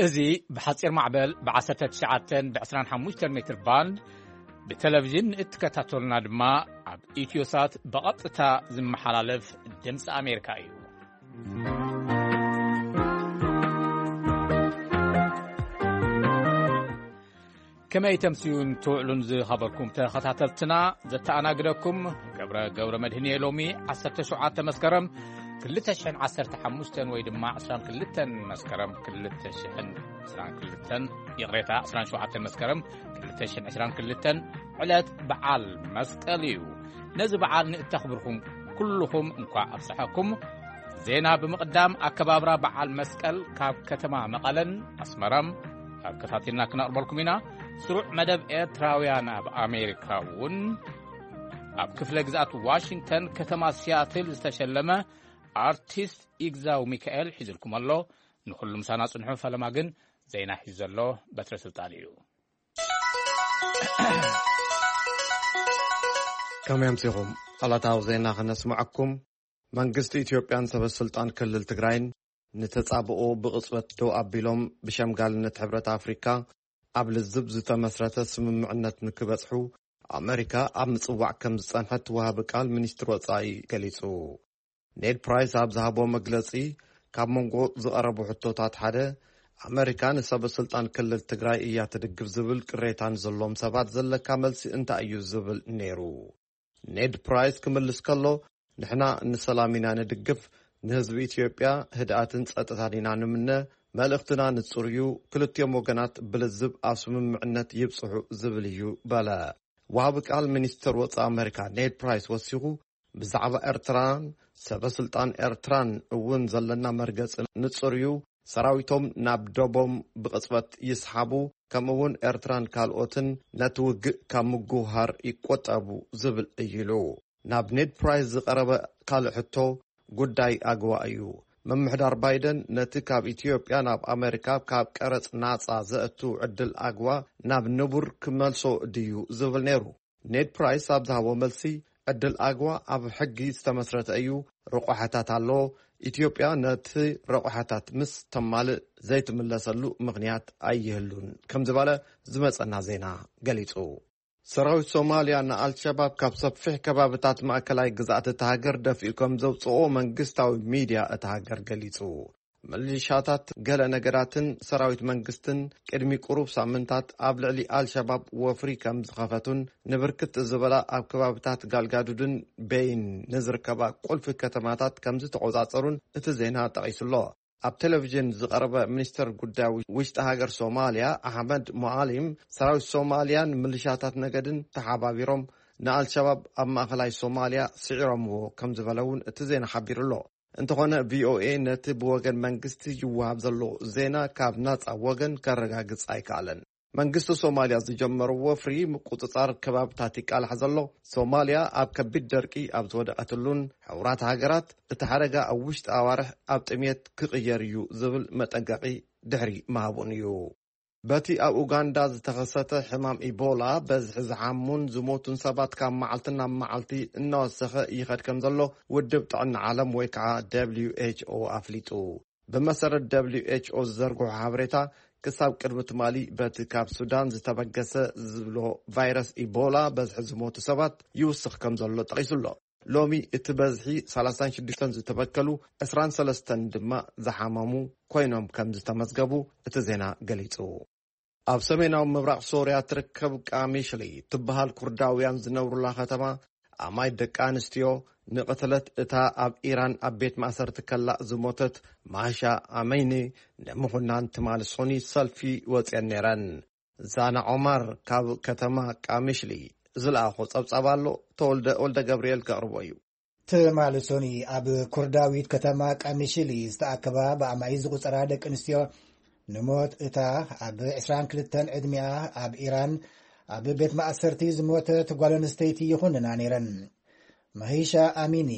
እዚ ብሓጺር ማዕበል ብ19 ብ25 ሜትር ባንድ ብቴሌቪዥን እትከታተሉና ድማ ኣብ ኢትዮሳት ብቐጥታ ዝመሓላለፍ ድምፂ ኣሜሪካ እዩ። ከመይ ተምስዩን ትውዕሉን ዝኸበርኩም ተኸታተልትና፣ ዘተኣናግደኩም ገብረ፣ ገብረ መድህን እየ። ሎሚ 17 መስከረም 2015 ወይ ድማ 22 መስከረም 2022፣ ይቕሬታ፣ 17 መስከረም 2022 ዕለት በዓል መስቀል እዩ። ነዚ በዓል ንእተኽብርኩም ኩልኹም እንኳዕ ኣብፀሐኩም። ዜና ብምቕዳም፣ ኣከባብራ በዓል መስቀል ካብ ከተማ መቐለን ኣስመራም ኣከታቲልና ክነቕርበልኩም ኢና። ስሩዕ መደብ ኤርትራውያን ኣብ ኣሜሪካ እውን ኣብ ክፍለ ግዝኣት ዋሽንግተን ከተማ ሲያትል ዝተሸለመ ኣርቲስት ይግዛው ሚካኤል ሒዝልኩም ኣሎ። ንኹሉ ምሳና ጽንሑ። ፈለማ ግን ዜና ሒዙ ዘሎ በትረ ስልጣን እዩ። ከመይ ኣምሲኹም? ዕለታዊ ዜና ክነስምዐኩም። መንግስቲ ኢትዮጵያን ሰበ ስልጣን ክልል ትግራይን ንተጻብኦ ብቕጽበት ደው ኣቢሎም፣ ብሸምጋልነት ሕብረት ኣፍሪካ ኣብ ልዝብ ዝተመስረተ ስምምዕነት ንክበጽሑ ኣመሪካ ኣብ ምጽዋዕ ከም ዝጸንሐት ወሃቢ ቃል ሚኒስትር ወጻኢ ገሊጹ። ኔድ ፕራይስ ኣብ ዝሃቦ መግለጺ፣ ካብ መንጎ ዝቐረቡ ሕቶታት ሓደ፣ ኣመሪካ ንሰበ ስልጣን ክልል ትግራይ እያ ትድግፍ ዝብል ቅሬታ ንዘለዎም ሰባት ዘለካ መልሲ እንታይ እዩ ዝብል ነይሩ። ኔድ ፕራይስ ክምልስ ከሎ፣ ንሕና ንሰላም ኢና ንድግፍ፣ ንህዝቢ ኢትዮጵያ ህድኣትን ጸጥታን ኢና ንምነ፣ መልእኽትና ንጹር እዩ፣ ክልቲኦም ወገናት ብልዝብ ኣብ ስምምዕነት ይብጽሑ ዝብል እዩ በለ። ወሃቢ ቃል ሚኒስትር ወጻኢ ኣመሪካ ኔድ ፕራይስ ወሲኹ፣ ብዛዕባ ኤርትራን ሰበ ስልጣን ኤርትራን እውን ዘለና መርገጺ ንጹር እዩ፣ ሰራዊቶም ናብ ደቦም ብቕጽበት ይስሓቡ፣ ከምኡ እውን ኤርትራን ካልኦትን ነቲ ውግእ ካብ ምጉህሃር ይቆጠቡ ዝብል እዩ ኢሉ። ናብ ኔድ ፕራይስ ዝቐረበ ካልእ ሕቶ ጉዳይ ኣግዋ እዩ። ምምሕዳር ባይደን ነቲ ካብ ኢትዮጵያ ናብ ኣመሪካ ካብ ቀረጽ ናጻ ዘእቱ ዕድል ኣግዋ ናብ ንቡር ክመልሶ ድዩ ዝብል ነይሩ። ኔድ ፕራይስ ኣብ ዝሃቦ መልሲ፣ ዕድል ኣግዋ ኣብ ሕጊ ዝተመስረተ እዩ፣ ረቋሕታት ኣለዎ። ኢትዮጵያ ነቲ ረቋሕታት ምስ ተማልእ ዘይትምለሰሉ ምኽንያት ኣይህሉን ከም ዝበለ ዝመጸና ዜና ገሊጹ። ሰራዊት ሶማልያ ንኣልሸባብ ካብ ሰፊሕ ከባብታት ማእከላይ ግዝኣት እታ ሃገር ደፊኡ ከም ዘውጽኦ መንግስታዊ ሚድያ እታ ሃገር ገሊጹ። ሚሊሻታት ገለ ነገዳትን ሰራዊት መንግስትን ቅድሚ ቁሩብ ሳምንታት ኣብ ልዕሊ ኣልሸባብ ወፍሪ ከም ዝኸፈቱን ንብርክት ዝበላ ኣብ ከባብታት ጋልጋዱድን ቤይን ንዝርከባ ቁልፊ ከተማታት ከም ዝተቖጻጸሩን እቲ ዜና ጠቒሱሎ። ኣብ ቴሌቪዥን ዝቐረበ ሚኒስተር ጉዳይ ውሽጢ ሃገር ሶማልያ ኣሕመድ ሞዓሊም፣ ሰራዊት ሶማልያን ሚሊሻታት ነገድን ተሓባቢሮም ንኣልሸባብ ኣብ ማእኸላይ ሶማልያ ስዒሮምዎ ከም ዝበለ እውን እቲ ዜና ሓቢሩ ኣሎ። እንተኾነ፣ ቪኦኤ ነቲ ብወገን መንግስቲ ይወሃብ ዘሎ ዜና ካብ ናጻ ወገን ከረጋግጽ ኣይከኣለን። መንግስቲ ሶማልያ ዝጀመሮ ወፍሪ ምቁጽጻር ከባብታት ይቃላሕ ዘሎ፣ ሶማልያ ኣብ ከቢድ ደርቂ ኣብ ዝወደቐትሉን፣ ሕቡራት ሃገራት እቲ ሓደጋ ኣብ ውሽጢ ኣዋርሕ ኣብ ጥሜት ክቕየር እዩ ዝብል መጠንቀቒ ድሕሪ ምሃቡን እዩ። በቲ ኣብ ኡጋንዳ ዝተኸሰተ ሕማም ኢቦላ፣ በዝሒ ዝሓሙን ዝሞቱን ሰባት ካብ መዓልቲ ናብ መዓልቲ እናወሰኸ ይኸድ ከም ዘሎ ውድብ ጥዕና ዓለም ወይ ከዓ ደብሊው ኤች ኦ ኣፍሊጡ። ብመሰረት ደብሊው ኤች ኦ ዝዘርግሖ ሓበሬታ፣ ክሳብ ቅድሚ ትማሊ በቲ ካብ ሱዳን ዝተበገሰ ዝብሎ ቫይረስ ኢቦላ በዝሒ ዝሞቱ ሰባት ይውስኽ ከም ዘሎ ጠቒሱ ኣሎ። ሎሚ እቲ በዝሒ 36 ዝተበከሉ፣ 23 ድማ ዝሓመሙ ኮይኖም ከም ዝተመዝገቡ እቲ ዜና ገሊጹ። ኣብ ሰሜናዊ ምብራቕ ሶርያ ትርከብ ቃሚሽሊ ትበሃል ኩርዳውያን ዝነብሩላ ከተማ፣ ኣማይ ደቂ ኣንስትዮ ንቕትለት እታ ኣብ ኢራን ኣብ ቤት ማእሰርቲ ከላ ዝሞተት ማሻ ኣመይኒ ንምኹናን ትማሊ ሶኒ ሰልፊ ወፅየን ነይረን። ዛና ዖማር ካብ ከተማ ቃሚሽሊ ዝለኣኾ ጸብጻብ ኣሎ። ተወልደ ወልደ ገብርኤል ከቕርቦ እዩ። ትማሊ ሶኒ ኣብ ኩርዳዊት ከተማ ቃሚሽሊ ዝተኣከባ ብኣማይ ዝቑጸራ ደቂ ኣንስትዮ ንሞት እታ ኣብ 22 ዕድሚኣ ኣብ ኢራን ኣብ ቤት ማእሰርቲ ዝሞተት ጓል ኣንስተይቲ ይኹንና ነይረን። ማሂሻ ኣሚኒ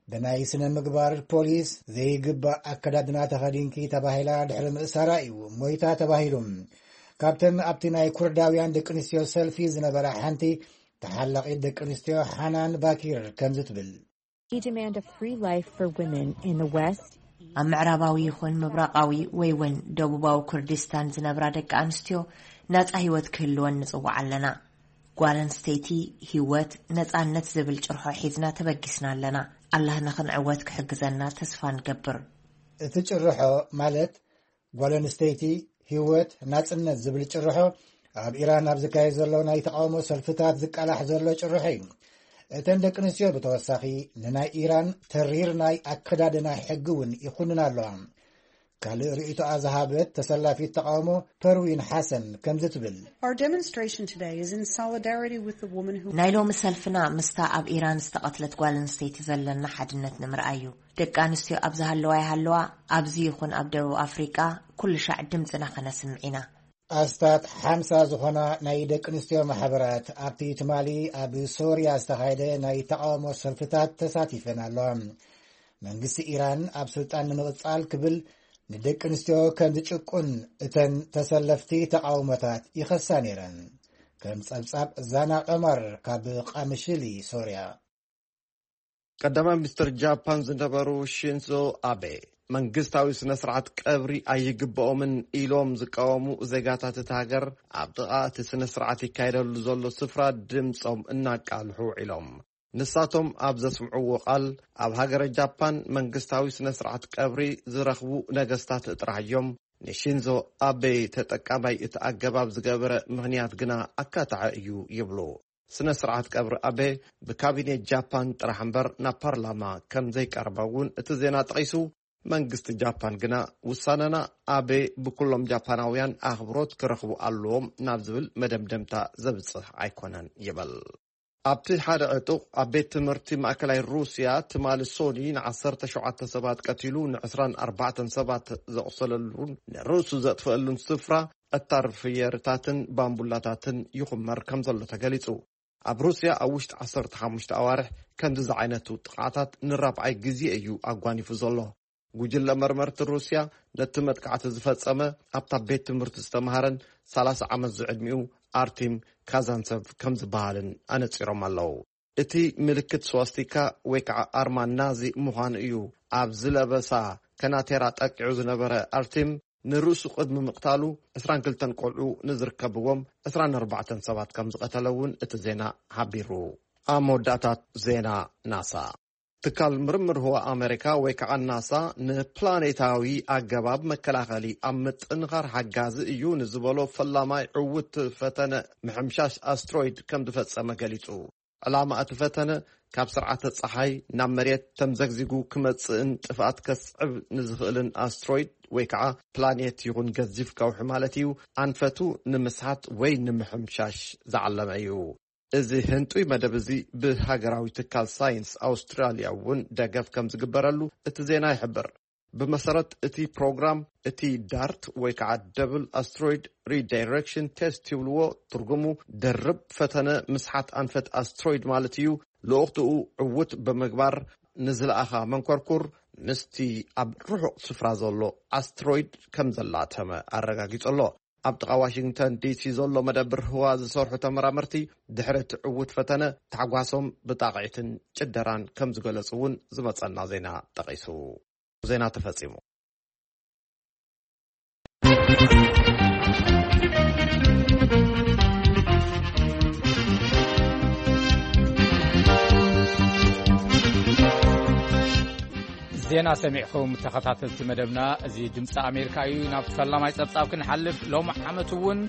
ብናይ ስነ ምግባር ፖሊስ ዘይግባእ ኣከዳድና ተኸዲንኪ ተባሂላ ድሕሪ ምእሳራ እዩ ሞይታ ተባሂሉ። ካብተን ኣብቲ ናይ ኩርዳውያን ደቂ ኣንስትዮ ሰልፊ ዝነበራ ሓንቲ ተሓላቒት ደቂ ኣንስትዮ ሓናን ባኪር ከምዚ ትብል። We demand a free life for women in the West ኣብ ምዕራባዊ ይኹን ምብራቓዊ ወይ እውን ደቡባዊ ኩርዲስታን ዝነብራ ደቂ ኣንስትዮ ናጻ ህይወት ክህልወን ንጽውዓ ኣለና። ጓል ኣንስተይቲ ህይወት፣ ነጻነት ዝብል ጭርሖ ሒዝና ተበጊስና ኣለና። ኣላህ ንኽንዕወት ክሕግዘና ተስፋ ንገብር። እቲ ጭርሖ ማለት ጓል ኣንስተይቲ ህይወት፣ ናጽነት ዝብል ጭርሖ ኣብ ኢራን ኣብ ዝካየድ ዘሎ ናይ ተቓውሞ ሰልፍታት ዝቃላሕ ዘሎ ጭርሖ እዩ። እተን ደቂ ኣንስትዮ ብተወሳኺ ንናይ ኢራን ተሪር ናይ ኣከዳድና ሕጊ እውን ይኹንን ኣለዋ። ካልእ ርእይቶኣ ዝሃበት ተሰላፊት ተቓውሞ ፐርዊን ሓሰን ከምዚ ትብል። Our demonstration today is in solidarity with the woman who ናይ ሎሚ ሰልፍና ምስታ ኣብ ኢራን ዝተቐትለት ጓል ኣንስተይቲ ዘለና ሓድነት ንምርኣይ እዩ። ደቂ ኣንስትዮ ኣብ ዝሃለዋ ይሃለዋ፣ ኣብዚ ይኹን ኣብ ደቡብ ኣፍሪቃ ኩሉ ሻዕ ድምፅና ከነስምዕ ኢና። ኣስታት ሓምሳ ዝኾና ናይ ደቂ ኣንስትዮ ማሕበራት ኣብቲ ትማሊ ኣብ ሶርያ ዝተኻየደ ናይ ተቓውሞ ሰልፍታት ተሳቲፈን ኣለዋ። መንግስቲ ኢራን ኣብ ስልጣን ንምቕጻል ክብል ንደቂ ኣንስትዮ ከም ዝጭቁን እተን ተሰለፍቲ ተቓውሞታት ይኸሳ ነይረን። ከም ጸብጻብ ዛና ቀመር ካብ ቃምሽሊ ሶርያ። ቀዳማይ ሚኒስትር ጃፓን ዝነበሩ ሺንዞ ኣቤ መንግስታዊ ስነ ስርዓት ቀብሪ ኣይግብኦምን ኢሎም ዝቃወሙ ዜጋታት እቲ ሃገር ኣብ ጥቓ እቲ ስነ ስርዓት ይካየደሉ ዘሎ ስፍራ ድምፆም እናቃልሑ ውዒሎም። ንሳቶም ኣብ ዘስምዕዎ ቃል ኣብ ሃገረ ጃፓን መንግስታዊ ስነ ስርዓት ቀብሪ ዝረኽቡ ነገስታት ጥራሕ እዮም። ንሺንዞ ኣቤ ተጠቃማይ እቲ ኣገባብ ዝገበረ ምኽንያት ግና ኣካታዒ እዩ ይብሉ። ስነ ስርዓት ቀብሪ ኣቤ ብካቢኔት ጃፓን ጥራሕ እምበር ናብ ፓርላማ ከም ዘይቀረበ እውን እቲ ዜና ጠቒሱ፣ መንግስቲ ጃፓን ግና ውሳነና ኣቤ ብኩሎም ጃፓናውያን ኣኽብሮት ክረኽቡ ኣለዎም ናብ ዝብል መደምደምታ ዘብጽሕ ኣይኮነን ይብል። ኣብቲ ሓደ ዕጡቕ ኣብ ቤት ትምህርቲ ማእከላይ ሩስያ ትማሊ ሶኒ ን17 ሰባት ቀቲሉ ን24 ሰባት ዘቑሰለሉን ንርእሱ ዘጥፈአሉን ስፍራ ዕታር ፍየርታትን ባምቡላታትን ይኹመር ከም ዘሎ ተገሊጹ። ኣብ ሩስያ ኣብ ውሽጢ 15 ኣዋርሕ ከምዚ ዝዓይነቱ ጥቕዓታት ንራብዓይ ግዜ እዩ ኣጓኒፉ ዘሎ። ጉጅለ መርመርቲ ሩስያ ነቲ መጥቃዕቲ ዝፈጸመ ኣብታ ቤት ትምህርቲ ዝተምሃረን 30 ዓመት ዝዕድሚኡ ኣርቲም ካዛንሰቭ ከም ዝበሃልን ኣነጺሮም ኣለዉ። እቲ ምልክት ስዋስቲካ ወይ ከዓ ኣርማ ናዚ ምዃኑ እዩ ኣብ ዝለበሳ ከናቴራ ጠቂዑ ዝነበረ ኣርቲም ንርእሱ ቅድሚ ምቕታሉ 22 ቆልዑ ንዝርከብዎም 24 ሰባት ከም ዝቐተለ እውን እቲ ዜና ሓቢሩ። ኣብ መወዳእታት ዜና ናሳ ትካል ምርምር ህዋ ኣሜሪካ ወይ ከዓ ናሳ ንፕላኔታዊ ኣገባብ መከላኸሊ ኣብ ምጥንኻር ሓጋዚ እዩ ንዝበሎ ፈላማይ ዕውት ፈተነ ምሕምሻሽ ኣስትሮይድ ከም ዝፈጸመ ገሊጹ። ዕላማ እቲ ፈተነ ካብ ስርዓተ ፀሓይ ናብ መሬት ተምዘግዚጉ ክመጽእን ጥፍኣት ከስዕብ ንዝኽእልን ኣስትሮይድ ወይ ከዓ ፕላኔት ይኹን ገዚፍ ከውሒ ማለት እዩ ኣንፈቱ ንምስሓት ወይ ንምሕምሻሽ ዝዓለመ እዩ። እዚ ህንጡይ መደብ እዚ ብሃገራዊ ትካል ሳይንስ ኣውስትራልያ እውን ደገፍ ከም ዝግበረሉ እቲ ዜና ይሕብር። ብመሰረት እቲ ፕሮግራም እቲ ዳርት ወይ ከዓ ደብል ኣስትሮይድ ሪዳይሬክሽን ቴስት ይብልዎ። ትርጉሙ ደርብ ፈተነ ምስሓት ኣንፈት ኣስትሮይድ ማለት እዩ። ልኡኽትኡ ዕውት ብምግባር ንዝለኣኻ መንኮርኩር ምስቲ ኣብ ርሑቕ ስፍራ ዘሎ ኣስትሮይድ ከም ዘላተመ ኣረጋጊጹ ኣሎ። ኣብ ጥቓ ዋሽንግተን ዲሲ ዘሎ መደብር ህዋ ዝሰርሑ ተመራመርቲ ድሕሪ እቲ ዕውት ፈተነ ታሕጓሶም ብጣቕዒትን ጭደራን ከም ዝገለጹ እውን ዝመጸና ዜና ጠቒሱ። ዜና ተፈጺሙ። ዜና ሰሚዕኹም ተኸታተልቲ መደብና፣ እዚ ድምፂ ኣሜሪካ እዩ። ናብ ፈላማይ ፀብፃብ ክንሓልፍ፣ ሎም ዓመት እውን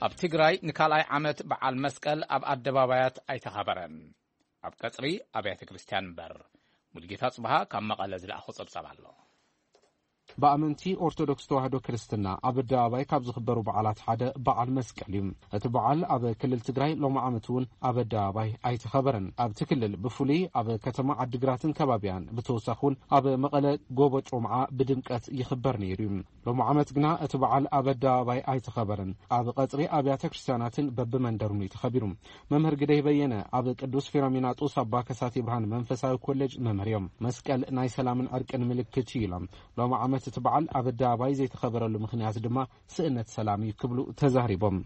ኣብ ትግራይ ንካልኣይ ዓመት በዓል መስቀል ኣብ ኣደባባያት ኣይተኸበረን። ኣብ ቀፅሪ ኣብያተ ክርስቲያን እምበር። ሙልጌታ ፅብሃ ካብ መቐለ ዝለኣኾ ፀብፃብ ኣሎ። ብኣመንቲ ኦርቶዶክስ ተዋህዶ ክርስትና ኣብ ኣደባባይ ካብ ዝኽበሩ በዓላት ሓደ በዓል መስቀል እዩ። እቲ በዓል ኣብ ክልል ትግራይ ሎም ዓመት እውን ኣብ ኣደባባይ ኣይተኸበረን። ኣብቲ ክልል ብፍሉይ ኣብ ከተማ ዓዲግራትን ከባቢያን ብተወሳኺ እውን ኣብ መቐለ ጎቦ ጮምዓ ብድምቀት ይኽበር ነይሩ እዩ። ሎም ዓመት ግና እቲ በዓል ኣብ ኣደባባይ ኣይተኸበረን። ኣብ ቀፅሪ ኣብያተ ክርስቲያናትን በብመንደሩን እዩ ተኸቢሩ። መምህር ግደይ በየነ ኣብ ቅዱስ ፊሎሚናጦስ ኣባ ከሳቴ ብርሃን መንፈሳዊ ኮሌጅ መምህር እዮም። መስቀል ናይ ሰላምን ዕርቅን ምልክት እዩ ኢሎም። ሎም ዓመት እቲ በዓል ኣብ ኣደባባይ ዘይተኸበረሉ ምኽንያት ድማ ስእነት ሰላም እዩ ክብሉ ተዛሪቦም።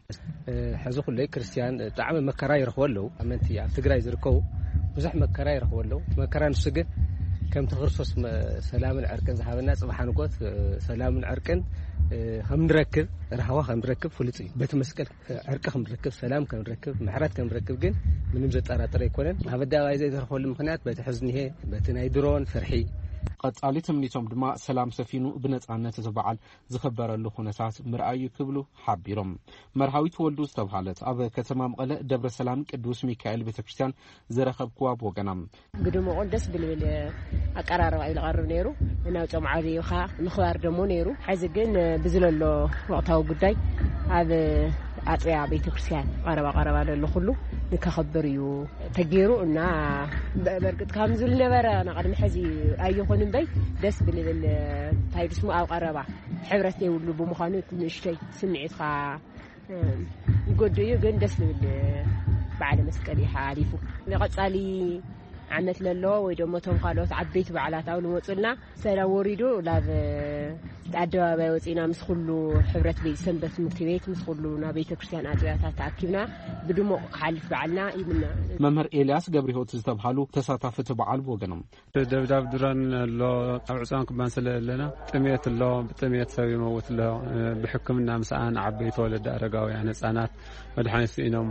ሕዚ ኩለይ ክርስቲያን ብጣዕሚ መከራ ይረኽቡ ኣለዉ። ኣመንቲ ኣብ ትግራይ ዝርከቡ ብዙሕ መከራ ይረኽቡ ኣለዉ። መከራ ንሱ ግን ከምቲ ክርስቶስ መ-፣ ሰላምን ዕርቅን ዝሃበና፣ ጽባሕ ንጎት፣ እ፣ ሰላምን ዕርቅን፣ እ፣ ከም ንረክብ፣ ራህዋ ከም ንረክብ ፍሉጥ እዩ። በቲ መስቀል፣ እ፣ ዕርቂ ከም ንረክብ፣ ሰላም ከም ንረክብ፣ ምሕረት ከም ንረክብ ግን ምንም ዘጠራጥር ኣይኮነን። ኣብ ኣደባባይ ዘይተረኽበሉ ምኽንያት በቲ ሕዚ እኒሄ፣ በቲ ናይ ድሮን ፍርሒ። ቀጻሊ ትምኒቶም ድማ ሰላም ሰፊኑ ብነጻነት እቲ በዓል ዝኽበረሉ ኩነታት ምርኣይ እዩ ክብሉ ሓቢሮም። መርሃዊት ወልዱ ዝተብሃለት ኣብ ከተማ መቐለ ደብረ ሰላም ቅዱስ ሚካኤል ቤተክርስትያን ዝረኸብክዋ ብወገና፣ ብድሙቕ ደስ ብልብል ኣቀራርባ እዩ ዝቐርብ ነይሩ። እናውፅኦም ዓብይኻ ምኽባር ደሞ ነይሩ። ሕዚ ግን ብዝለሎ ወቕታዊ ጉዳይ ኣብ ኣፅያ ቤተክርስትያን ቀረባ ቀረባ ዘሎ ኩሉ ንከኸብር እዩ ተገይሩ እና በ-፣ በርግጥ ከም ዝነበረ ንቕድሚ ሕዚ ኣይኹን እምበይ ደስ ብልብል እንታይ ድስሙ ኣብ ቀረባ ሕብረት ዘይብሉ ብምዃኑ እቲ ንእሽተይ ስምዒትካ ይጎድእ እዩ፣ ግን ደስ ዝብል በዓለ መስቀል እዩ ሓሊፉ። ንቐጻሊ ዓመት ለሎ ወይ ደሞ እቶም ካልኦት ዓበይቲ በዓላት ኣብ ዝመጹልና ሰላም ወሪዱ ናብ ኣደባባይ ወጺና ምስ ኩሉ ሕብረት ቤት ሰንበት ትምህርቲ ቤት ምስ ኩሉ ናብ ቤተ ክርስቲያን ኣጥቢያታት ተኣኪብና ብድሙቕ ክሓልፍ በዓልና ይምነ። መምህር ኤልያስ ገብረሕይወት ዝተብሃሉ ተሳታፊ እቲ በዓል ብወገኖም፣ ደብዳብ ድሮን ኣሎ፣ ኣብ ዕፅዋን ክባን ስለ ዘለና ጥሜት ኣሎ፣ ብጥሜት ሰብ ይመውት ኣሎ። ብሕክምና ምስኣን ዓበይቲ ወለዲ ኣረጋውያን ህፃናት መድሓኒት ስኢኖም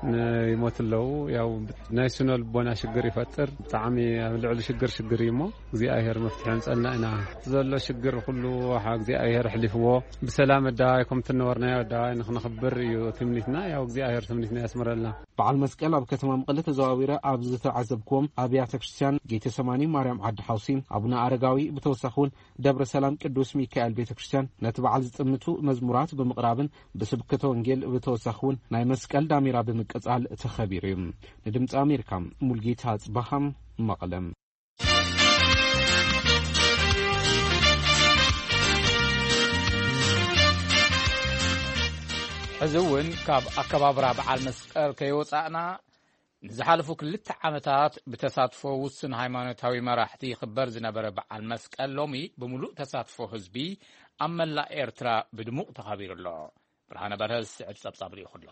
ን-፣ ይሞቱ ኣለዉ። ያው ናይ ስነ ልቦና ሽግር ይፈጥር። ብጣዕሚ ኣብ ልዕሊ ሽግር ሽግር እዩ እሞ እግዚኣብሔር መፍትሒ የምፀልና ኢና። እቲ ዘሎ ሽግር ኩሉ ሓ እግዚኣብሔር ኣሕሊፍዎ ብሰላም ኣደባባይ ከምቲ ነበርናዮ ኣደባባይ ንክነኽብር እዩ ትምኒትና። ያው እግዚኣብሔር ትምኒትና የስምረልና። በዓል መስቀል ኣብ ከተማ መቐለ ተዘዋዊረ ኣብ ዝተዓዘብክዎም ኣብያተ ክርስቲያን ጌተሰማኒ ማርያም ዓዲ ሓውሲ፣ ኣቡነ ኣረጋዊ ብተወሳኺ እውን ደብረ ሰላም ቅዱስ ሚካኤል ቤተ ክርስቲያን ነቲ በዓል ዝጥምቱ መዝሙራት ብምቕራብን ብስብከተ ወንጌል ብተወሳኺ እውን ናይ መስቀል ዳሜራ ብምቅጻል ተኸቢሩ እዩ። ንድምፂ ኣሜሪካ ሙልጌታ ኣጽባሃ መቐለ። ሕዚ እውን ካብ ኣከባብራ በዓል መስቀል ከይወጻእና፣ ንዝሓለፉ ክልተ ዓመታት ብተሳትፎ ውሱን ሃይማኖታዊ መራሕቲ ይኽበር ዝነበረ በዓል መስቀል ሎሚ ብምሉእ ተሳትፎ ህዝቢ ኣብ መላእ ኤርትራ ብድሙቕ ተኸቢሩ ኣሎ። ብርሃነ በርሀ ዝስዕብ ጸብጻብ ልኢኹ ኣሎ።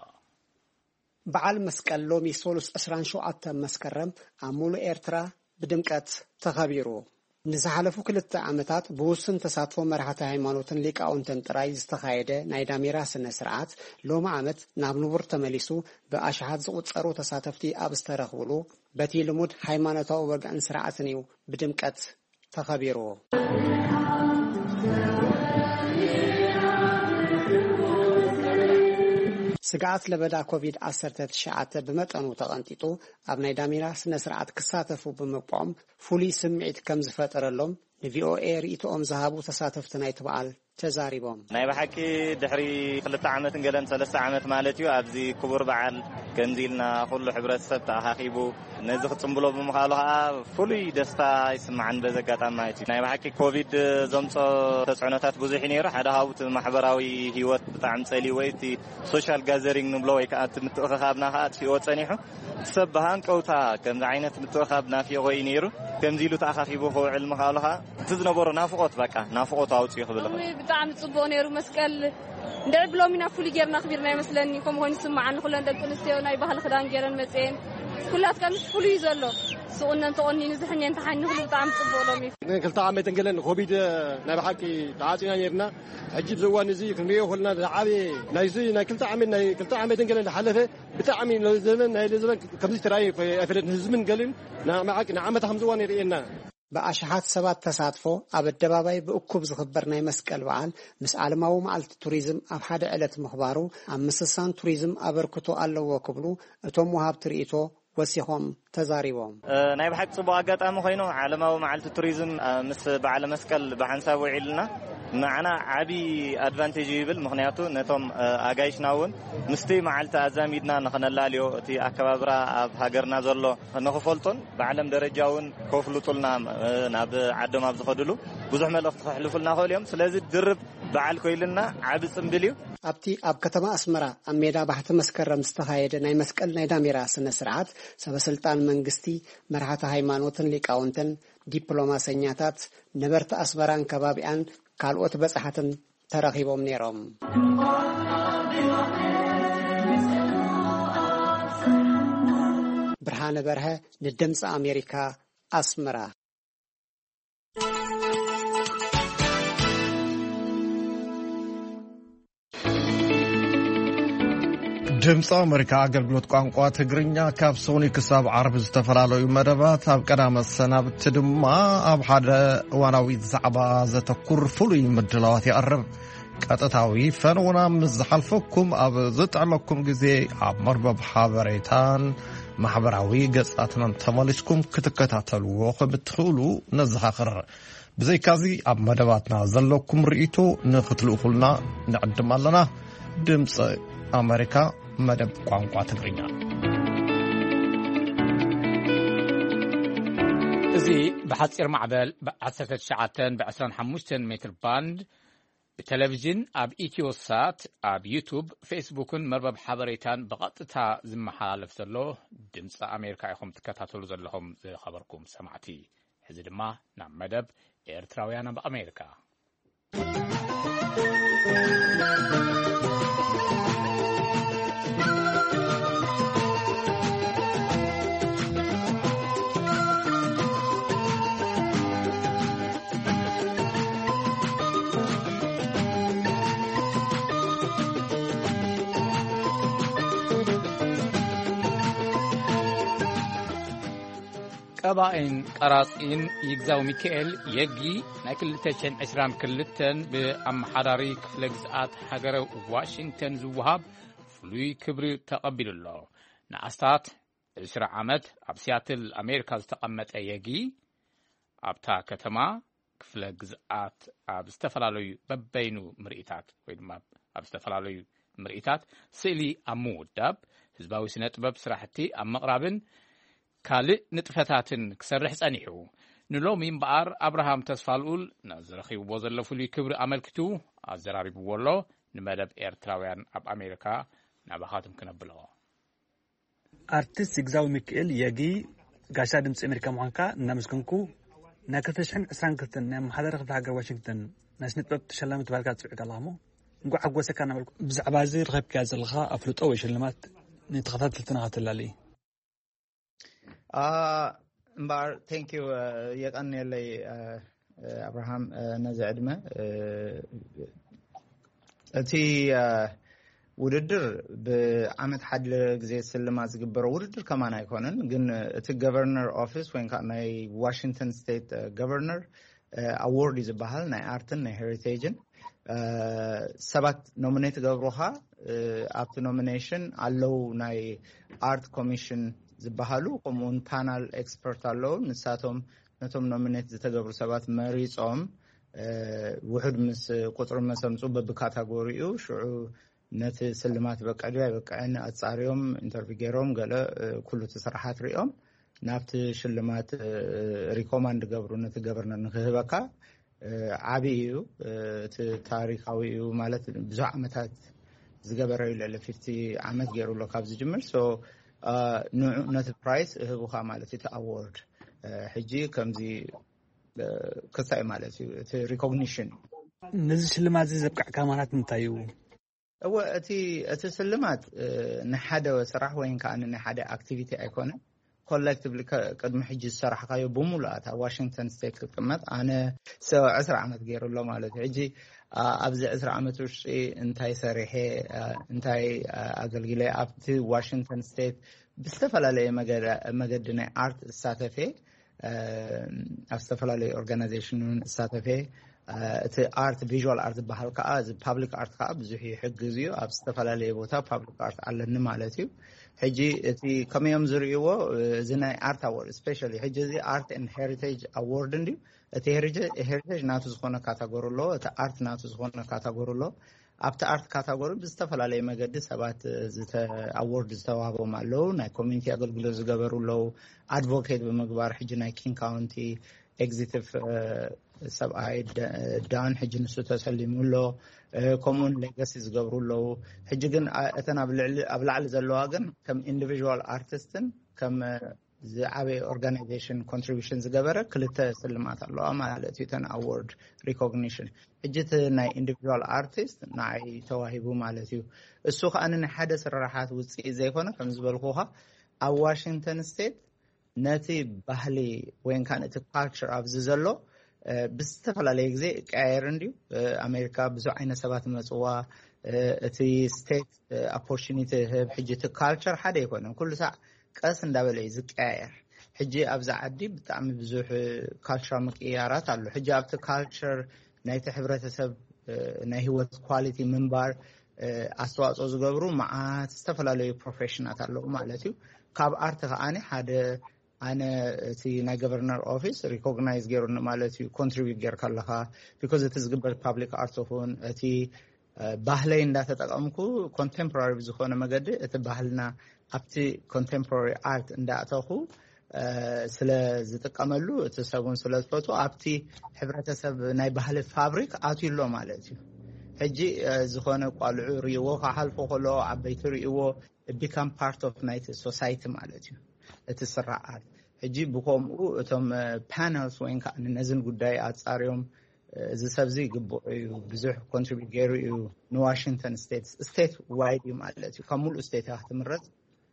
በዓል መስቀል ሎሚ ሶሉስ ዕስራን ሸውዓተን መስከረም ኣብ ሙሉእ ኤርትራ ብድምቀት ተኸቢሩ። ንዝሓለፉ ክልተ ዓመታት ብውሱን ተሳትፎ መራሕቲ ሃይማኖትን ሊቃውንትን ጥራይ ዝተኻየደ ናይ ዳሜራ ስነ ስርዓት ሎሚ ዓመት ናብ ንቡር ተመሊሱ ብኣሽሓት ዝቑጸሩ ተሳተፍቲ ኣብ ዝተረኽብሉ በቲ ልሙድ ሃይማኖታዊ ወግዕን ስርዓትን እዩ ብድምቀት ተኸቢሩ። ስግኣት ለበዳ ኮቪድ ዓሰርተ ትሽዓተ ብመጠኑ ተቐንጢጡ ኣብ ናይ ዳሜራ ስነ ስርዓት ክሳተፉ ብምብቅዖም ፍሉይ ስምዒት ከም ዝፈጠረሎም ንቪኦኤ ርእይቶኦም ዝሃቡ ተሳተፍቲ ናይቲ በዓል ተዛሪቦም። ናይ ብሓቂ ድሕሪ ክልተ ዓመትን ገለን ሰለስተ ዓመት ማለት እዩ ኣብዚ ክቡር በዓል ከምዚ ኢልና ኩሉ ሕብረተሰብ ተኣኻኺቡ ነዚ ክጽምብሎ ብምኽኣሉ ከዓ ፍሉይ ደስታ ይስምዓኒ በዚ ኣጋጣሚ ማለት እዩ። ናይ ብሓቂ ኮቪድ ዘምጾ ተጽዕኖታት ብዙሕ እዩ ነይሩ። ሓደ ካብኡ እቲ ማሕበራዊ ህይወት ብጣዕሚ ጸልይዎ እዩ። እቲ ሶሻል ጋዘሪንግ ንብሎ ወይ ከዓ እቲ ምትእኽኻብና ከዓ ኣጥፊእዎ ጸኒሑ። እቲ ሰብ ብሃንቀውታ ከምዚ ዓይነት ምትእኻብ ናፊቖ እዩ ነይሩ። ከምዚ ኢሉ ተኣኻኺቡ ክውዕል ምኽኣሉ ከዓ እቲ ዝነበሮ ናፍቖት በቃ ናፍቖት ኣውፅኡ ክብል እኽእል። ሎሚ ብጣዕሚ ጽቡቕ ነይሩ መስቀል። እንድዒ ብሎሚ ናብ ፍሉይ ጌርና ኣኽቢርና ይመስለኒ። ከምኡ ኮይኑ ይስምዓኒ። ኩለን ደቂ ኣንስትዮ ናይ ባህሊ ክዳን ጌረን መፅኤን። ኩላትካ ምስ ፍሉይ እዩ ዘሎ። ስቑነን ተቖኒኑ ዝሕኔን ተሓኒ ኩሉ ብጣዕሚ ጽቡቕ ሎሚ። ክልተ ዓመት እንገለን ኮቪድ ናይ ብሓቂ ተዓፂና ነይርና። ሕጂ ኣብዚ እዋን እዚ ክንሪኦ ከለና ዝዓበየ ናይዚ ናይ ክልተ ዓመት ናይ ክልተ ዓመት እንገለን ዝሓለፈ ብጣዕሚ ነዚ ዘመን ናይ ዘመን ከምዚ ተራእዩ ኣይፈለጥን። ህዝብን ገልን ንዓመታ ከምዚ እዋን የርእየና። ብኣሽሓት ሰባት ተሳትፎ ኣብ ኣደባባይ ብእኩብ ዝኽበር ናይ መስቀል በዓል ምስ ዓለማዊ መዓልቲ ቱሪዝም ኣብ ሓደ ዕለት ምኽባሩ ኣብ ምስሳን ቱሪዝም ኣበርክቶ ኣለዎ ክብሉ እቶም ወሃብቲ ርእይቶ ወሲኾም ተዛሪቦም። እ፣ ናይ ብሓቂ ጽቡቕ ኣጋጣሚ ኮይኑ ዓለማዊ መዓልቲ ቱሪዝም፣ እ፣ ምስ በዓለ መስቀል ብሓንሳብ ውዒልና ንዓና ዓቢ ኣድቫንቴጅ ይብል። ምኽንያቱ ነቶም፣ እ፣ ኣጋይሽና እውን ምስቲ መዓልቲ ኣዛሚድና ንኽነላልዮ እቲ ኣከባብራ ኣብ ሃገርና ዘሎ ንኽፈልጦን ብዓለም ደረጃ እውን ከፍልጡልና፣ እ፣ ናብ ዓዶም ኣብ ዝኸድሉ ብዙሕ መልእኽቲ ከሕልፉልና ክኽእሉ እዮም። ስለዚ ድርብ በዓል ኮይልና ዓቢ ጽምብል እዩ። ኣብቲ ኣብ ከተማ ኣስመራ ኣብ ሜዳ ባሕቲ መስከረም ዝተኻየደ ናይ መስቀል ናይ ዳሜራ ስነ ስርዓት ሰበ ስልጣን መንግስቲ፣ መራሕቲ ሃይማኖትን ሊቃውንትን፣ ዲፕሎማሰኛታት፣ ነበርቲ ኣስመራን ከባቢኣን ካልኦት በጻሕትን ተረኺቦም ነይሮም። ብርሃነ በርሀ ንድምፂ ኣሜሪካ ኣስመራ። ድምፂ ኣመሪካ ኣገልግሎት ቋንቋ ትግርኛ ካብ ሶኒ ክሳብ ዓርቢ ዝተፈላለዩ መደባት፣ ኣብ ቀዳመ ሰናብቲ ድማ ኣብ ሓደ እዋናዊ ዛዕባ ዘተኩር ፍሉይ ምድላዋት ይቐርብ። ቀጥታዊ ፈነውና ምስ ዝሓልፈኩም፣ ኣብ ዝጥዕመኩም ግዜ ኣብ መርበብ ሓበሬታን ማሕበራዊ ገጻትናን ተመሊስኩም ክትከታተልዎ ከም እትኽእሉ ነዘኻኽር። ብዘይካዚ ኣብ መደባትና ዘለኩም ርእይቶ ንኽትልእኹልና ንዕድም ኣለና። ድምፂ ኣመሪካ፣ መደብ ቋንቋ ትግርኛ። እዚ ብሓጺር ማዕበል ብ19 ብ25 ሜትር ባንድ፣ ብቴሌቪዥን፣ ኣብ ኢትዮ ሳት፣ ኣብ ዩቱብ፣ ፌስቡክን መርበብ ሓበሬታን ብቐጥታ ዝመሓላለፍ ዘሎ ድምፂ ኣሜሪካ ኢኹም ትከታተሉ ዘለኹም። ዝኸበርኩም ሰማዕቲ፣ ሕዚ ድማ ናብ መደብ ኤርትራውያን ኣብ ኣሜሪካ። ቀባኢን ቀራጺን ይግዛው ሚካኤል የጊ ናይ ክልተ ሽሕን ዕስራን ክልተን ብኣመሓዳሪ ክፍለ ግዝኣት ሃገረ ዋሽንግተን ዝወሃብ ፍሉይ ክብሪ ተቐቢሉ ኣሎ። ንኣስታት ዕስራ ዓመት ኣብ ሲያትል ኣሜሪካ ዝተቐመጠ የጊ፣ ኣብታ ከተማ ክፍለ ግዝኣት ኣብ ዝተፈላለዩ በበይኑ ምርኢታት ወይ ድማ ኣብ ዝተፈላለዩ ምርኢታት ስእሊ ኣብ ምውዳብ፣ ህዝባዊ ስነ ጥበብ ስራሕቲ ኣብ ምቕራብን ካልእ ንጥፈታትን ክሰርሕ ጸኒሑ። ንሎሚ እምበኣር ኣብርሃም ተስፋልኡል ነዚ ረኺብዎ ዘሎ ፍሉይ ክብሪ ኣመልኪቱ ኣዘራሪብዎ ኣሎ። ንመደብ ኤርትራውያን ኣብ ኣሜሪካ ናባኻትም ክነብሎ። ኣርቲስት ይግዛው ሚካኤል የጊ፣ ጋሻ ድምፂ ኣሜሪካ ምዃንካ እናመስገንኩ፣ ናይ ክልተ ሽሕን ዕስራን ክልተን ናይ ኣመሓዳሪ ክፍለ ሃገር ዋሽንግተን ናይ ስነ ጥበብ ተሸላሚ ተባሂልካ ትፅውዕ ኣለኻ እሞ፣ እንኳዕ ሓጎሰካ እናበልኩ፣ ብዛዕባ እዚ ረኸብካዮ ዘለኻ ኣፍልጦ ወይ ሽልማት ንተኸታተልትና ከተላሊ። እምበኣር፣ ቴንክ ዩ፣ የቀንየለይ፣ ኣብርሃም፣ ነዚ ዕድመ። እቲ ውድድር ብዓመት ሓደ ግዜ ስልማት ዝግበሮ ውድድር ከማን ኣይኮነን፣ ግን እቲ ገቨርነር ኦፊስ ወይ ከዓ ናይ ዋሽንግተን ስቴት ገቨርነር ኣዎርድ እዩ ዝበሃል፣ ናይ ኣርትን ናይ ሄሪቴጅን። ሰባት ኖሚኔት ገብሩኻ። ኣብቲ ኖሚኔሽን ኣለዉ ናይ ኣርት ኮሚሽን ዝበሃሉ፣ ከምኡውን ፓናል ኤክስፐርት ኣለዉ። ንሳቶም ነቶም ኖሚኔት ዝተገብሩ ሰባት መሪጾም፣ ውሑድ ምስ ቁፅሪ መሰምፁ በብካታጎሪኡ ሽዑ ነቲ ስልማት በቅዕ ድዩ ኣይበቅዕን ኣጻርዮም፣ ኢንተርቪው ገይሮም፣ ገለ ኩሉ እቲ ስራሓት ሪኦም ናብቲ ሽልማት ሪኮማንድ ገብሩ ነቲ ገቨርነር ንክህበካ። ዓብዪ እዩ። እቲ ታሪካዊ እዩ ማለት ብዙሕ ዓመታት ዝገበረ እዩ። ልዕሊ ፊፍቲ ዓመት ገይሩ ኣሎ ካብ ዝጅምር። ንዑ ነቲ ፕራይስ እህቡኻ ማለት እዩ፣ እቲ ኣዎርድ። ሕጂ ከምዚ ክሳይ ማለት እዩ፣ እቲ ሪኮግኒሽን። ነዚ ሽልማት እዚ ዘብቃዕካ ምኽንያት እንታይ እዩ? እወ፣ እቲ እቲ ስልማት ንሓደ ስራሕ ወይ ከዓ ንሓደ ኣክቲቪቲ ኣይኮነ። ኮሌክቲቭሊ ቅድሚ ሕጂ ዝሰራሕካዮ ብምሉኣት ኣብ ዋሽንግተን ስቴት ክትቅመጥ፣ ኣነ ዕስራ ዓመት ገይሩ ኣሎ ማለት እዩ። ሕጂ ኣብዚ ዕስራ ዓመት ውሽጢ እንታይ ሰሪሐ፣ እንታይ ኣገልግለ፣ ኣብቲ ዋሽንግተን ስቴት ብዝተፈላለየ መገዲ ናይ ኣርት እሳተፈ፣ ኣብ ዝተፈላለዩ ኦርጋናይዜሽን እውን እሳተፈ። እቲ ኣርት፣ ቪዥዋል ኣርት ዝበሃል ከዓ፣ እዚ ፓብሊክ ኣርት ከዓ ብዙሕ ይሕግዝ እዩ። ኣብ ዝተፈላለየ ቦታ ፓብሊክ ኣርት ኣለኒ ማለት እዩ። ሕጂ እቲ ከመይ እዮም ዝርእይዎ፣ እዚ ናይ ኣርት ኣዎርድ ስፔሻሊ፣ ሕጂ እዚ ኣርት ኤንድ ሄሪቴጅ ኣዎርድ እንድዩ። እቲ ሄሪቴጅ ናቱ ዝኾነ ካታጎሪ ኣለዎ፣ እቲ ኣርት ናቱ ዝኾነ ካታጎሪ ኣለዎ። ኣብቲ ኣርት ካታጎሪ ብዝተፈላለየ መገዲ ሰባት ኣዎርድ ዝተዋህቦም ኣለዉ። ናይ ኮሚኒቲ ኣገልግሎት ዝገበሩ ኣለዉ። ኣድቮኬት ብምግባር ሕጂ ናይ ኪንግ ካውንቲ ኤግዚቲቭ ሰብኣይ ዳን ሕጂ ንሱ ተሰሊሙ ኣሎ። ከምኡውን ሌጋሲ ዝገብሩ ኣለዉ። ሕጂ ግን እተን ኣብ ላዕሊ ዘለዋ ግን ከም ኢንዲቪዋል ኣርቲስትን ከም ዝዓበየ ኦርጋናይዜሽን ኮንትሪቢሽን ዝገበረ ክልተ ስልማት ኣለዋ ማለት እዩ። እተን ኣዎርድ ሪኮግኒሽን፣ ሕጂ እቲ ናይ ኢንዲቪዋል ኣርቲስት ንዓይ ተዋሂቡ ማለት እዩ። እሱ ከዓ ንሓደ ስራሓት ውፅኢት ዘይኮነ፣ ከም ዝበልኩኻ፣ ኣብ ዋሽንግተን ስቴት ነቲ ባህሊ ወይ ከዓ ነቲ ካልቸር ኣብዚ ዘሎ ብዝተፈላለየ ግዜ ቀያየር እንድዩ። ኣሜሪካ ብዙሕ ዓይነት ሰባት መፅዋ፣ እቲ ስቴት ኦፖርቹኒቲ ህብ። ሕጂ እቲ ካልቸር ሓደ ኣይኮነን፣ ኩሉ ሳዕ ቀስ እንዳበለ እዩ ዝቀያየር። ሕጂ ኣብዚ ዓዲ ብጣዕሚ ብዙሕ ካልቸራል ምቅያራት ኣሎ። ሕጂ ኣብቲ ካልቸር ናይቲ ሕብረተሰብ ናይ ህይወት ኳሊቲ ምንባር ኣስተዋፅኦ ዝገብሩ መዓት ዝተፈላለዩ ፕሮፌሽናት ኣለዉ ማለት እዩ። ካብ ኣርቲ ከዓኒ ሓደ ኣነ እቲ ናይ ገቨርነር ኦፊስ ሪኮግናይዝ ገይሩኒ ማለት እዩ። ኮንትሪቢዩት ጌርካ ኣለካ፣ ቢኮዝ እቲ ዝግበር ፓብሊክ ኣርት ይኹን እቲ ባህለይ እንዳተጠቀምኩ ኮንቴምፖራሪ ብዝኾነ መገዲ እቲ ባህልና ኣብቲ ኮንቴምፖራሪ ኣርት እንዳእተኹ ስለ ዝጥቀመሉ፣ እቲ ሰብን ስለ ዝፈቱ፣ ኣብቲ ሕብረተሰብ ናይ ባህሊ ፋብሪክ ኣትዩ ኣሎ ማለት እዩ። ሕጂ ዝኾነ ቋልዑ ርእይዎ ክሓልፎ ከሎ፣ ዓበይቲ ርእይዎ፣ ቢካም ፓርት ኦፍ ናይቲ ሶሳይቲ ማለት እዩ እቲ ስርዓት። ሕጂ ብከምኡ እቶም ፓነልስ ወይን ከዓ ነዝን ጉዳይ ኣፃርዮም፣ እዚ ሰብዚ ይግብኦ እዩ፣ ብዙሕ ኮንትሪቢዩት ገይሩ እዩ ንዋሽንግተን ስቴት፣ ስቴት ዋይድ እዩ ማለት እዩ። ካብ ሙሉእ ስቴት እያ ክትምረፅ።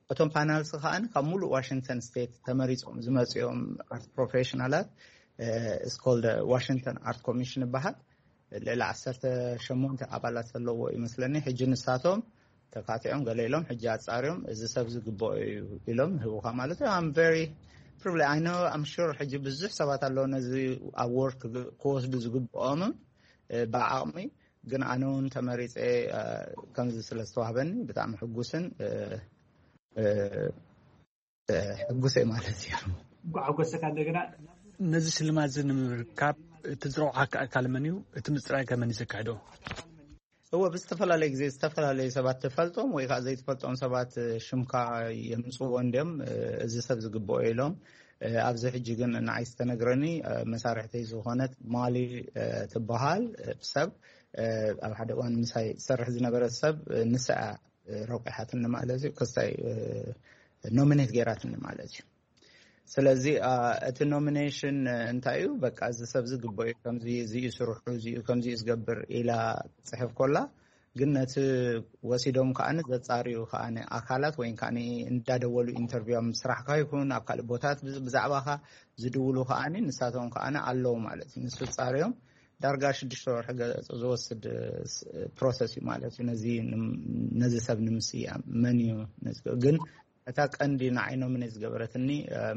እቶም ፓናልስ ከዓኒ ካብ ሙሉእ ዋሽንግተን ስቴት ተመሪፆም ዝመፅኦም ኣርት ፕሮፌሽናላት ስኮልደ ዋሽንግተን ኣርት ኮሚሽን ይበሃል። ልዕሊ ዓሰርተ ሸሞንተ ኣባላት ዘለዎ ይመስለኒ። ሕጂ ንሳቶም ተካቲዖም ገለ ኢሎም ሕጂ ኣፃርዮም እዚ ሰብ ዝግብኦ እዩ ኢሎም ህቡካ ማለት እዩ። I'm very privileged. I know, I'm sure ሕጂ ብዙሕ ሰባት ኣለዉ ነዚ ኣዋርድ ክወስዱ ዝግብኦምን ብዓቕሚ፣ ግን ኣነ እውን ተመሪፀ ከምዚ ስለ ዝተዋህበኒ ብጣዕሚ ሕጉስን ሕጉሰ ማለት እዩ። እንኳዕ ሓጎሰካ። እንደገና ነዚ ሽልማት እዚ ንምርካብ እቲ ዝረቑሓካ ኣካል መን እዩ? እቲ ምፅራይ ከ መን እዩ ዘካይዶ? እወ፣ ብዝተፈላለየ ግዜ ዝተፈላለዩ ሰባት ትፈልጦም ወይ ከዓ ዘይትፈልጦም ሰባት ሽምካ የምፅዎ እንዲዮም፣ እዚ ሰብ ዝግብኦ ኢሎም። ኣብዚ ሕጂ ግን ንዓይ ዝተነግረኒ መሳርሕተይ ዝኾነት ማሊ ትበሃል ሰብ ኣብ ሓደ እዋን ምሳይ ትሰርሕ ዝነበረት ሰብ ንስኣ ረቂሓትኒ ማለት እዩ። ክስታይ ኖሚኔት ገይራትኒ ማለት እዩ። ስለዚ እቲ ኖሚኔሽን እንታይ እዩ? በቃ እዚ ሰብ ዝግበኦ እዩ፣ ከምዚ እዚ እዩ ስርሑ፣ እዚ እዩ ከምዚ እዩ ዝገብር ኢላ ትፅሕፍ ኮላ፣ ግን ነቲ ወሲዶም ከዓ ዘፃርዩ ከዓ ኣካላት ወይ ከዓ እንዳደወሉ ኢንተርቪው ኣብ ስራሕካ ይኹን ኣብ ካልእ ቦታት ብዛዕባካ ዝድውሉ ከዓ ንሳቶም ከዓ ኣለዉ ማለት እዩ። ንሱ ፃርዮም ዳርጋ ሽዱሽተ ወርሒ ገ- ዝወስድ ፕሮሰስ እዩ ማለት እዩ። ነዚ ንም- ነዚ ሰብ ንምስያም መን እዩ ነዚ- ግን እታ ቀንዲ ንዓይ ኖሚኔት ዝገበረትኒ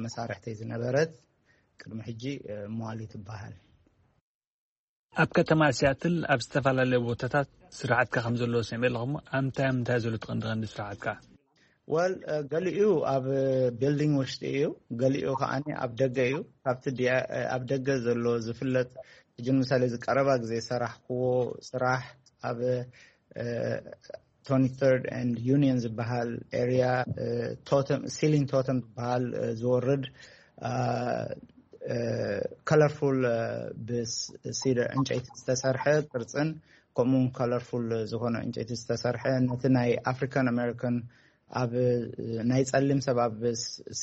መሳርሕተይ ዝነበረት ቅድሚ ሕጂ ሟሊ ትበሃል። ኣብ ከተማ ሲያትል ኣብ ዝተፈላለዩ ቦታታት ስራሕትካ ከም ዘለዎ ሰሚዐ ኣለኹ። እሞ ኣብ ምንታይ ኣብ ምንታይ ዘሎ ትቐንዲ ቀንዲ ስራሕትካ? ወል ገሊኡ ኣብ ቢልዲንግ ውሽጢ እዩ፣ ገሊኡ ከዓ ኣብ ደገ እዩ። ካብቲ ኣብ ደገ ዘሎ ዝፍለጥ ሕጂ ንምሳሌ ዝቀረባ ግዜ ሰራሕክዎ ስራሕ ኣብ ቶኒ ተርድ ኤንድ ዩኒየን ዝበሃል ኤሪያ ሲሊንግ ቶተም ዝበሃል ዝወርድ ከለርፉል ብሲደር ዕንጨይቲ ዝተሰርሐ ቅርፅን ከምኡውን ከለርፉል ዝኾነ ዕንጨይቲ ዝተሰርሐ ነቲ ናይ ኣፍሪካን ኣሜሪካን ኣብ ናይ ጸሊም ሰብ ኣብ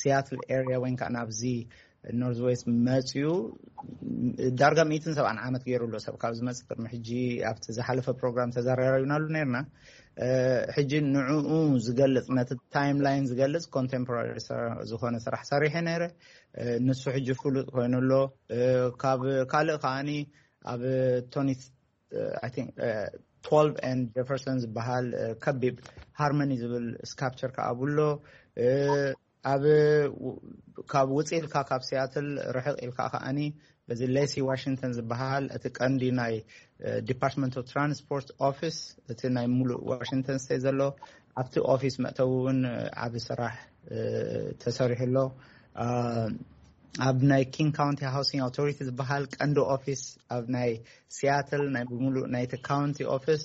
ሲያትል ኤሪያ ወይ ከዓ ናብዚ ኖርዝ ዌስት መፅዩ ዳርጋ ሚእትን ሰብዓን ዓመት ገይሩ ኣሎ ሰብ ካብ ዝመፅእ ቅድሚ ሕጂ ኣብቲ ዝሓለፈ ፕሮግራም ተዘራረብናሉ ነርና። ሕጂ ንዕኡ ዝገልፅ ነቲ ታይም ላይን ዝገልፅ ኮንቴምፖራሪ ዝኾነ ስራሕ ሰሪሐ ነይረ። ንሱ ሕጂ ፍሉጥ ኮይኑ ኣሎ። ካብ ካልእ ከዓኒ ኣብ ቶኒ I think twelve and Jefferson ዝበሃል ከቢብ ሃርመኒ ዝብል ስካፕቸር ከዓ ኣብሎ። ኣብ ካብ ውፅእ ኢልካ ካብ ሲያትል ርሕቕ ኢልካ ከዓኒ በዚ ሌሲ ዋሽንግተን ዝበሃል እቲ ቀንዲ ናይ ዲፓርትመንት ኦፍ ትራንስፖርት ኦፊስ እቲ ናይ ሙሉእ ዋሽንግተን ስቴት ዘሎ ኣብቲ ኦፊስ መእተዊ እውን ዓብ ስራሕ ተሰሪሑ ኣሎ። ኣብ ናይ ኪንግ ካውንቲ ሃውሲንግ ኣውቶሪቲ ዝበሃል ቀንዲ ኦፊስ ኣብ ናይ ሲያትል ናይ ብምሉእ ናይቲ ካውንቲ ኦፊስ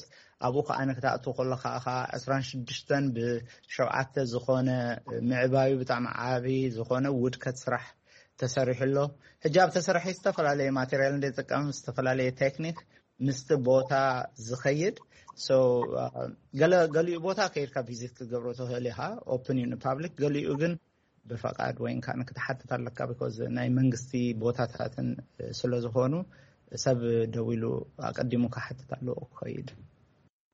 ኣብኡ ከዓ ንክትኣቱ ከለካ ከዓ ዕስራን ሽዱሽተን ብሸውዓተ ዝኾነ ምዕባዩ ብጣዕሚ ዓቢ ዝኾነ ውድከት ስራሕ ተሰሪሑ ኣሎ። ሕጂ ኣብ ተሰራሒ ዝተፈላለየ ማቴሪያል እንደጥቀም ዝተፈላለየ ቴክኒክ ምስቲ ቦታ ዝኸይድ ገሊኡ ቦታ ከይድካ ቪዚት ክትገብሮ ትኽእል ኢኻ። ኦፕን እዩ ንፓብሊክ። ገሊኡ ግን ብፈቃድ ወይን ከዓ ክትሓትት ኣለካ ቢኮዝ ናይ መንግስቲ ቦታታትን ስለ ዝኾኑ ሰብ ደው ኢሉ ኣቀዲሙ ክሓትት ኣለዎ ክኸይድ።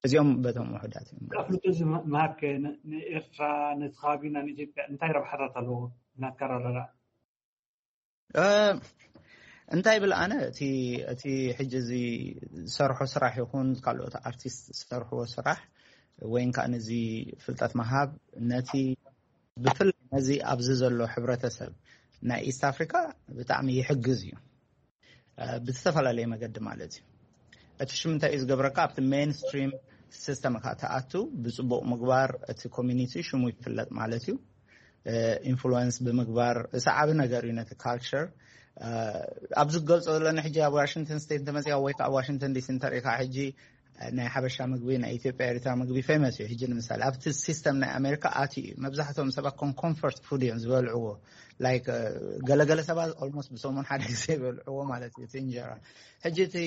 እዚኦም በቶም ውሑዳት እዮም። ኣፍልጦ እዚ ምሃብ ከ ንኤርትራ ነቲ ከባቢና ንኢትዮጵያ እንታይ ረብሓታት ኣለዎ? ናትካ ረረራ እንታይ ብል ኣነ፣ እቲ እቲ ሕጂ እዚ ዝሰርሖ ስራሕ ይኹን ካልኦት ኣርቲስት ዝሰርሕዎ ስራሕ፣ ወይ ከዓ ነዚ ፍልጠት ምሃብ፣ ነቲ ብፍላይ ነዚ ኣብዚ ዘሎ ሕብረተሰብ ናይ ኢስት ኣፍሪካ ብጣዕሚ ይሕግዝ እዩ። ብዝተፈላለየ መገዲ ማለት እዩ። እቲ ሽም እንታይ እዩ ዝገብረካ? ኣብቲ ሜንስትሪም ሲስተም ካ ተኣቱ፣ ብፅቡቅ ምግባር እቲ ኮሚኒቲ ሽሙ ይፍለጥ ማለት እዩ። ኢንፍሉወንስ ብምግባር፣ እሳ ዓቢ ነገር እዩ ነቲ ካልቸር። ኣብዚ ዝገልፆ ዘለኒ ሕጂ ኣብ ዋሽንግተን ስቴት እንተመፅያ ወይ ከዓ ኣብ ዋሽንግተን ዲሲ እንተሪኢካ፣ ሕጂ ናይ ሓበሻ ምግቢ፣ ናይ ኢትዮጵያ ኤሪትራ ምግቢ ፌመስ እዩ። ሕጂ ንምሳሌ ኣብቲ ሲስተም ናይ ኣሜሪካ ኣትዩ እዩ። መብዛሕትኦም ሰባት ኮም ኮምፈርት ፉድ እዮም ዝበልዕዎ። ላይክ ገለገለ ሰባት ኦልሞስት ብሰሙን ሓደ ግዜ ይበልዕዎ ማለት እዩ እቲ እንጀራ። ሕጂ እቲ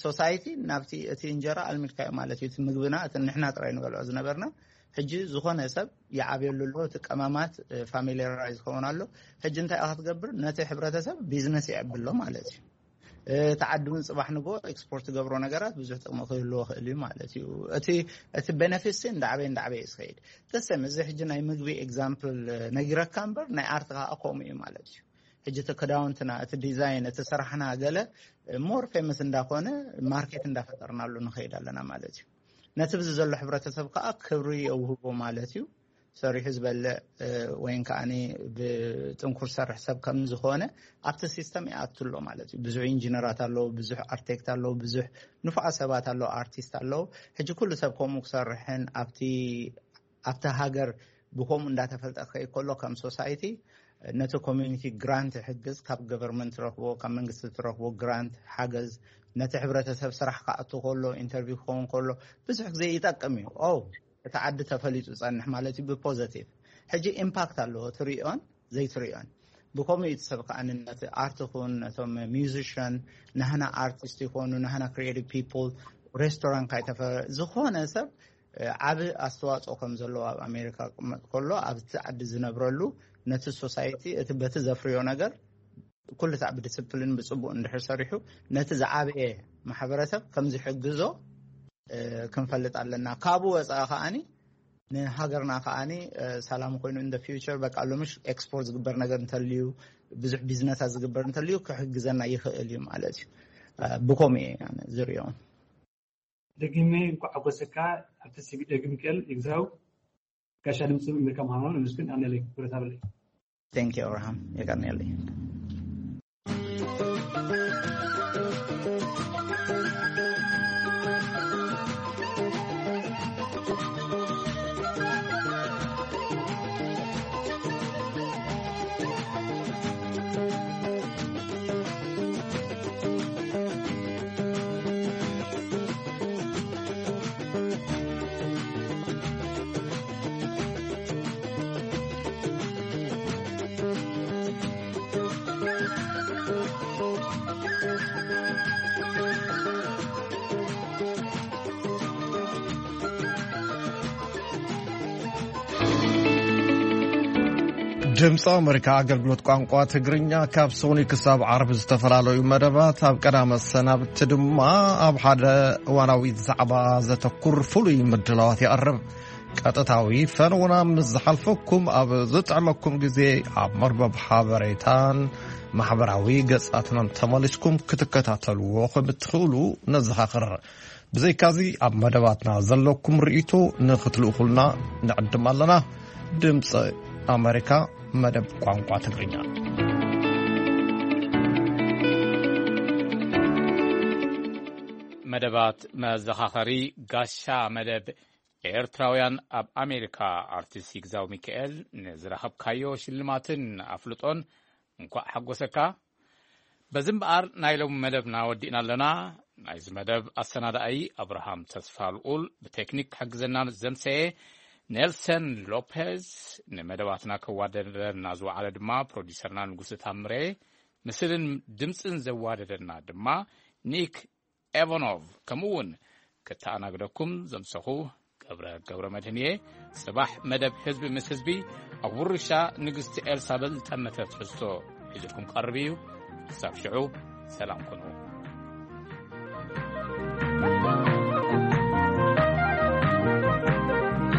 ሶሳይቲ ናብቲ እቲ እንጀራ ኣልሚድካዮ ማለት እዩ። እቲ ምግብና እቲ ንሕና ጥራይ ንበልዖ ዝነበርና ሕጂ ዝኾነ ሰብ ይዓብየሉ ኣሎ። እቲ ቀማማት ፋሚሊራይዝ ክኸውን ኣሎ። ሕጂ እንታይ ኢኻ ትገብር? ነቲ ሕብረተሰብ ቢዝነስ ይዕብሎ ማለት እዩ። እቲ ዓዲ እውን ፅባሕ ንጎ ኤክስፖርት ገብሮ ነገራት ብዙሕ ጥቕሚ ክህልዎ ክእል እዩ ማለት እዩ። እቲ እቲ ቤነፊትስ እንዳዕበየ እንዳዕበየ እዩ ዝኸይድ። ተሰም እዚ ሕጂ ናይ ምግቢ ኤግዛምፕል ነጊረካ እምበር፣ ናይ ኣርት ከዓ ከምኡ እዩ ማለት እዩ። ሕጂ እቲ ክዳውንትና፣ እቲ ዲዛይን፣ እቲ ስራሕና ገለ ሞር ፌመስ እንዳኾነ ማርኬት እንዳፈጠርናሉ ንኸይድ ኣለና ማለት እዩ። ነቲ ብዚ ዘሎ ሕብረተሰብ ከዓ ክብሪ የውህቦ ማለት እዩ። ሰሪሑ ዝበልዕ ወይን ከዓኒ ብጥንኩር ሰርሕ ሰብ ከም ዝኾነ ኣብቲ ሲስተም ይኣቱ ኣሎ ማለት እዩ። ብዙሕ ኢንጂነራት ኣለዉ፣ ብዙሕ ኣርቴክት ኣለዉ፣ ብዙሕ ንፉዓት ሰባት ኣለዉ፣ ኣርቲስት ኣለዉ። ሕጂ ኩሉ ሰብ ከምኡ ክሰርሕን ኣብቲ ኣብቲ ሃገር ብከምኡ እንዳተፈልጠ ክኸይድ ከሎ ከም ሶሳይቲ ነቲ ኮሚኒቲ ግራንት ይሕግዝ፣ ካብ ገቨርንመንት ትረኽቦ፣ ካብ መንግስቲ ትረኽቦ ግራንት ሓገዝ፣ ነቲ ሕብረተሰብ ስራሕ ክኣቱ ከሎ፣ ኢንተርቪው ክኸውን ከሎ ብዙሕ ግዜ ይጠቅም እዩ። ኦ እቲ ዓዲ ተፈሊጡ ጸንሕ ማለት እዩ ብፖዘቲቭ። ሕጂ ኢምፓክት ኣለዎ ትሪኦን ዘይትሪኦን። ብከምኡ እዩ እቲ ሰብ ከኣ ነቲ ኣርት ኩን ነቶም ሚውዚሽን ናህና ኣርቲስት ይኾኑ ናህና ክሪኤቲቭ ፒፕል ሬስቶራንት ካይተፈ ዝኾነ ሰብ ዓብ ኣስተዋፅኦ ከም ዘለዎ ኣብ ኣሜሪካ ክመጥ ከሎ ኣብቲ ዓዲ ዝነብረሉ ነቲ ሶሳይቲ እቲ በቲ ዘፍርዮ ነገር ኩሉ ሳዕ ብዲስፕሊን ብፅቡቅ እንድሕር ሰሪሑ ነቲ ዝዓበየ ማሕበረሰብ ከም ዝሕግዞ ክንፈልጥ ኣለና። ካብኡ ወፃኢ ከዓኒ ንሃገርና ከዓኒ ሰላም ኮይኑ እንደ ፊውቸር በቃ ሎምሽ ኤክስፖርት ዝግበር ነገር እንተልዩ ብዙሕ ቢዝነሳት ዝግበር እንተልዩ ክሕግዘና ይኽእል እዩ ማለት እዩ። ብከምኡ እየ ዝሪኦ። ደጊመ እንኳዕ ሓጎሰካ። ኣብቲ ሲቪ ደግም ክእል ይግዛው። ጋሻ ድምፂ ኣሜሪካ ምዃኑ ንምስግን ኣነለይ ክብረት ኣለይ። Thank you, Abraham. የቀንየልኝ። ድምፂ ኣመሪካ ኣገልግሎት ቋንቋ ትግርኛ ካብ ሶኒ ክሳብ ዓርቢ ዝተፈላለዩ መደባት ኣብ ቀዳመ ሰናብቲ ድማ ኣብ ሓደ እዋናዊ ዛዕባ ዘተኩር ፍሉይ ምድላዋት ይቐርብ። ቀጥታዊ ፈነውና ምስ ዝሓልፈኩም ኣብ ዝጥዕመኩም ግዜ ኣብ መርበብ ሓበሬታን ማሕበራዊ ገጻትናን ተመሊስኩም ክትከታተልዎ ከም እትኽእሉ ነዘኻኽር። ብዘይካዚ ኣብ መደባትና ዘለኩም ርእይቶ ንኽትልእኹልና ንዕድም ኣለና። ድምፂ ኣመሪካ መደብ ቋንቋ ትግርኛ። መደባት መዘኻኸሪ ጋሻ መደብ ኤርትራውያን ኣብ ኣሜሪካ ኣርቲስት ይግዛው ሚካኤል ንዝረኸብካዮ ሽልማትን ኣፍልጦን እንኳዕ ሓጎሰካ። በዚ እምበኣር ናይ ሎሚ መደብና ወዲእና ኣለና። ናይዚ መደብ ኣሰናዳኣይ ኣብርሃም ተስፋ ልኡል፣ ብቴክኒክ ክሕግዘና ዘምሰየ ኔልሰን ሎፔዝ፣ ንመደባትና ከዋደደና ዝወዓለ ድማ ፕሮዲሰርና ንጉስ ታምሬ፣ ምስልን ድምፅን ዘዋደደና ድማ ኒክ ኤቫኖቭ፣ ከምኡ እውን ከተኣናግደኩም ዘምሰኹ ገብረ ገብረ መድህን እየ። ጽባሕ መደብ ህዝቢ ምስ ህዝቢ ኣብ ውርሻ ንግስቲ ኤልሳበል ዝጠመተ ትሕዝቶ ሒዙልኩም ቀርብ እዩ። ክሳብ ሽዑ ሰላም ኩኑ።